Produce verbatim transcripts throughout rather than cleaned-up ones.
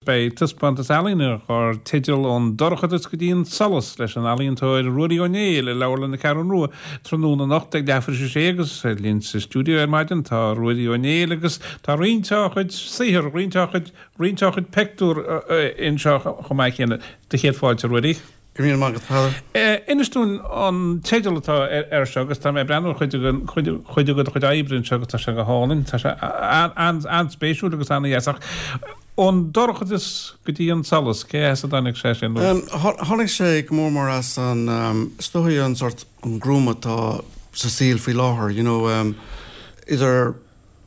Beidh taispeántas ealaíne dar teideal Ón Dorchadas go dtí an Solas leis an ealaíontóir Ruairí Ó Néill i Leabharlann na Ceathrún Rua tráthnóna anocht ag leathuair tar éis a sé agus linn sa stiúideo ar maidin tá Ruairí Ó Néill agus tá roinnt dá chuid saothar, roinnt dá chuid roinnt dá chuid pictiúr anseo chomh maith céanna. Do chéad fáilte, Ruairí. Go raibh míle maith agat, Peadar. Inis dúinn an teideal atá air seo agus tá mé ag breathnú ar chuid den chuid de do chuid oibre anseo agus tá sé go hálainn. Tá sé an-spéisiúil agus an-dheas ach ón dorchadas go dtí an solas, cé as a dtáinig sé sin? Tháinig sé go mór mór as an, is dóigh an sort an gruaim atá sa saol faoi láthair, you know, idir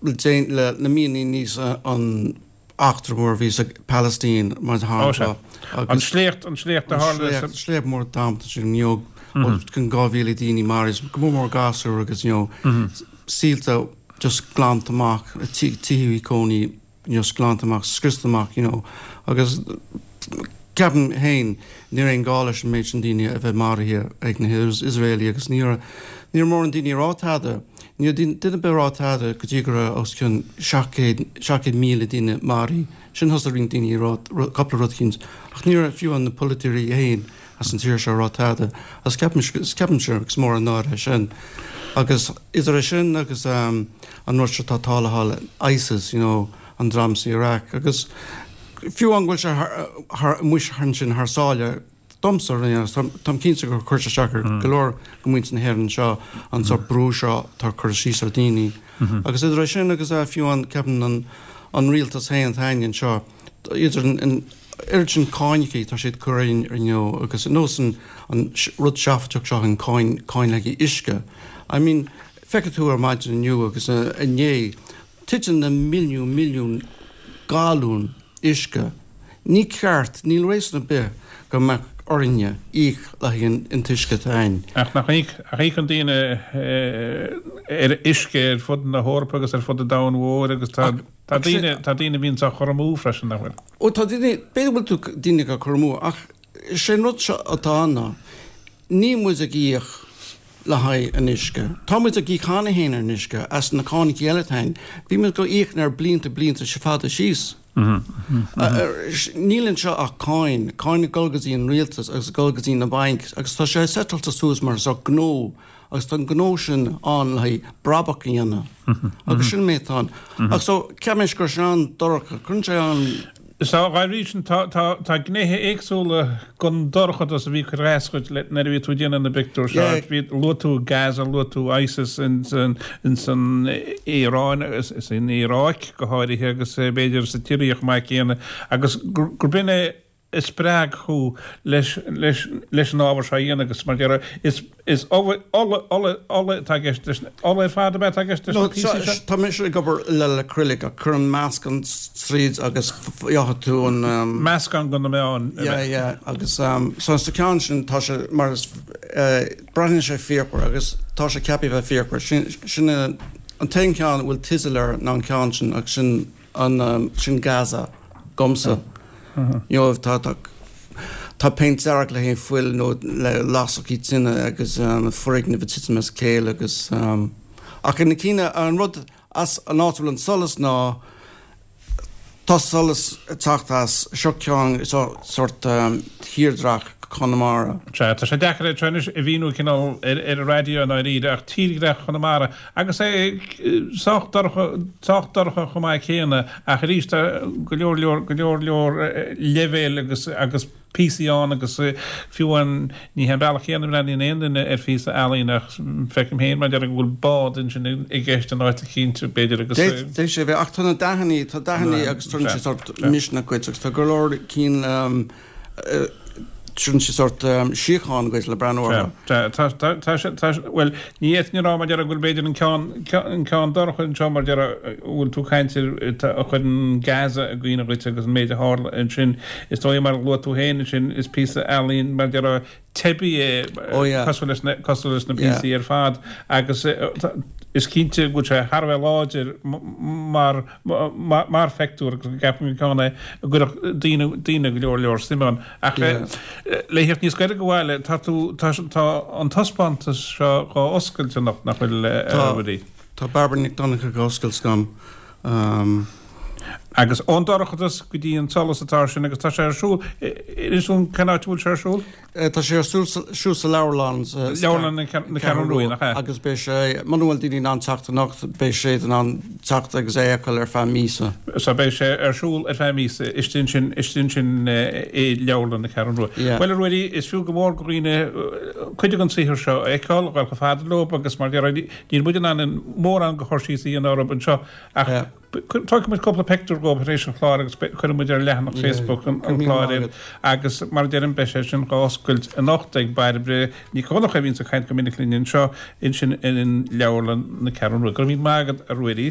le na míonna aníos an eachtra mór a bhí sa Palestine mar shampla. An sléacht, an sléacht a tharla sa. An sléacht mór damanta sin, you know, os cionn dhá mhíle daoine maraithe, go mór mór gasúir agus, you know, saolta just glanta amach, tithe cónaí just glanta amach, scriosta amach, you know, agus ceapaim féin ní raibh aon gá leis an méid sin daoine a bheith maraithe ag na hIosraelaigh agus ní raibh ní raibh mórán daoine ag rá tada. Ní raibh duine ar bith ag rá tada go dtí go raibh os cionn seacht gcéad seacht gcéad míle duine maraithe. Sin thosaigh roinnt daoine ag rá cúpla rud eicínt ach ní raibh fiú na polaiteoirí féin as an tír seo ag rá tada agus ceapaim ceapaimse is mór an náire é sin. Agus idir é sin agus an rud seo atá tarlaithe ISIS, you know, an dream sa Iraq agus fiú amháin go bhfuil sé thar amuigh ansin thar sáile domsa, táim cinnte gur chuir sé isteach ar go leor de mhuintir na hÉireann anseo an sórt brú seo atá ag cur síos ar dhaoine. Agus idir é sin agus fiú amháin ceapaim an an rialtas féin atá againn anseo idir an oiread sin cáineacha tá siad ag cur orainn you know agus nós an an rud seafóideach seo an cáin cáin le haghaidh uisce. I mean feicfidh tú ar maidin inniu agus inné Titeann na milliún milliún galún uisce. Ní ceart, níl réasún ar bith go mbeadh orainne íoc le haghaidh an t-uisce atá againn. Ach nach íocann daoine ar uisce ar fud na hEorpa agus ar fud an domhain mhóir agus tá tá daoine tá daoine a bhíonns á chur amú freisin, nach bhfuil? Ó tá daoine, b'fhéidir go bhfuil tú daoine á cur amú ach sé an rud seo atá ann ná níl muid ag íoc le haghaidh an uisce. Tá muid ag íoc cheana féin ar an uisce as na cánacha eile atá againn. Bhí muid ag íoc air blianta blianta fada síos. Níl anseo ach cáin, cáin ag dul go dtí an rialtas agus ag dul go dtí na bainc agus tá sé seiteáilte suas mar sórt gnó agus tá an gnó sin ann le haghaidh brabach a dhéanamh agus sin an méid atá ann. Ach so ceapaim gur sin an-dorcha, cuireann sé an. So, dá bhrí sin, tá, tá, tá gnéithe éagsúla den dorchadas a bhí ag cur as dhuit nuair a bhí tú ag déanamh na bpictiúr seo. Yeah. Bhí, luaigh tú Gaza, luaigh tú ISIS ins an, ins an Iaráin, is in Iaráic go háirithe agus b'fhéidir sa tSiria chomh maith céanna agus gur, gurb in é a spreag thú leis, leis, leis an ábhar seo a dhéanamh agus mar a déarfá, is, Is ola, ola, ola, ola atá i gceist leis, ola ar fad ab ea atá i gceist leis na píosaí seo? Tá mise ag obair le acrylic ach cuirim meascán tríd agus gheobhaidh tú an. Meascán de na meáin. Yeah, yeah, agus so sa ceann sin tá sé mar is breathnaíonn sé fíochmhar agus tá sé ceaptha a bheith fíochmhar. Sin, sin an t-aon cheann a bhfuil teideal air ná an ceann sin agus sin an, sin Gaza dhomsa. You know, tá, tá, tá péint dearg le haghaidh fuil nó le lasachaí tine agus foirgnimh ag titim as a chéile agus ach na cinn, an rud as an áit a bhfuil an solas ná tá solas ag teacht as seo ceann sórt tírdhreach Chonamara. Sea, tá sé deacair é seo anois a mhíniú cineál ar an raidió i ndáiríre ach tírdhreach Chonamara agus é sách dorcha, sách dorcha chomh maith céanna ach arís tá go leor leor, go leor leor leibhéil agus, agus píosaí ann agus fiú amháin ní hé an bealach céanna a mbreathnaíonn aon duine ar phíosa ealaíne ach feicim féin mar a déarfá go bhfuil bád ansin i gceist in áit eicínt b'fhéidir agus. D'fhéadfadh sé a bheith ach tá na dathannaí, tá dathannaí agus tugann sé sórt misneach dhuit agus tá go leor cinn Tugann sé sórt síocháin dhuit le breathnú orthu. Tá, tá, tá, tá sé, tá, bhuel, ní fhéadfainn a rá mar a déarfá go bhfuil b'fhéidir an ceann, an ceann dorcha anseo mar a déarfá, bhfuil tú ag caint ar, a chuireann Gaza i gcuimhne dhuit agus an méid a tharla ansin. Is dóigh mar a luaigh tú féin ansin, is píosa ealaín mar a déarfá teibí é, Oh yeah. cosúil leis na, cosúil leis na Yeah. píosaí ar fad agus is cinnte go bhfuil sé thar a bheith láidir mar, mar phictiúr agus go gceapaim gur ceann é a gcuirfeadh daoine, daoine go leor leor suim ann. Ach le theacht níos gaire go bhaile, tá tú, tá, tá an taispeántas seo dhá oscailt anocht, nach bhfuil, a Tá, Ruairí? tá Barbara Nic Donncha ag oscailt agam. Agus ón dorchadas go dtí an solas atá sin agus tá sé ar siúl is un cén áit bhfuil sé ar siúl? Tá sé ar siúl sa leabharlann Leabharlann na Ceathrún Rua nach ea? Agus beidh sé muna bhfuil daoine in ann teacht anocht beidh sé in ann teacht agus é a fheiceáil ar feadh míosa. So beidh sé ar siúl ar feadh míosa istigh ansin istigh ansin i leabharlann na Ceathrún Rua. Bhuel a Ruairí is fiú go mór do dhaoine cuid den saothar seo a fheiceáil, a ghabháil chomh fada leo agus mar níl muid in ann mórán de chur síos a dhéanamh orthu anseo ach Tógfaidh muid cúpla pictiúr dhóibh tar éis an chláir agus cuirfidh muid ar leathanach Facebook an chláir iad agus mar a deirim beidh sé sin dhá oscailt anocht ag Bairbre Nic Dhonncha a bhíonns ag caint go minic linn anseo ansin in Leabharlann na Ceathrún Rua. Go raibh míle maith agat a Ruairí.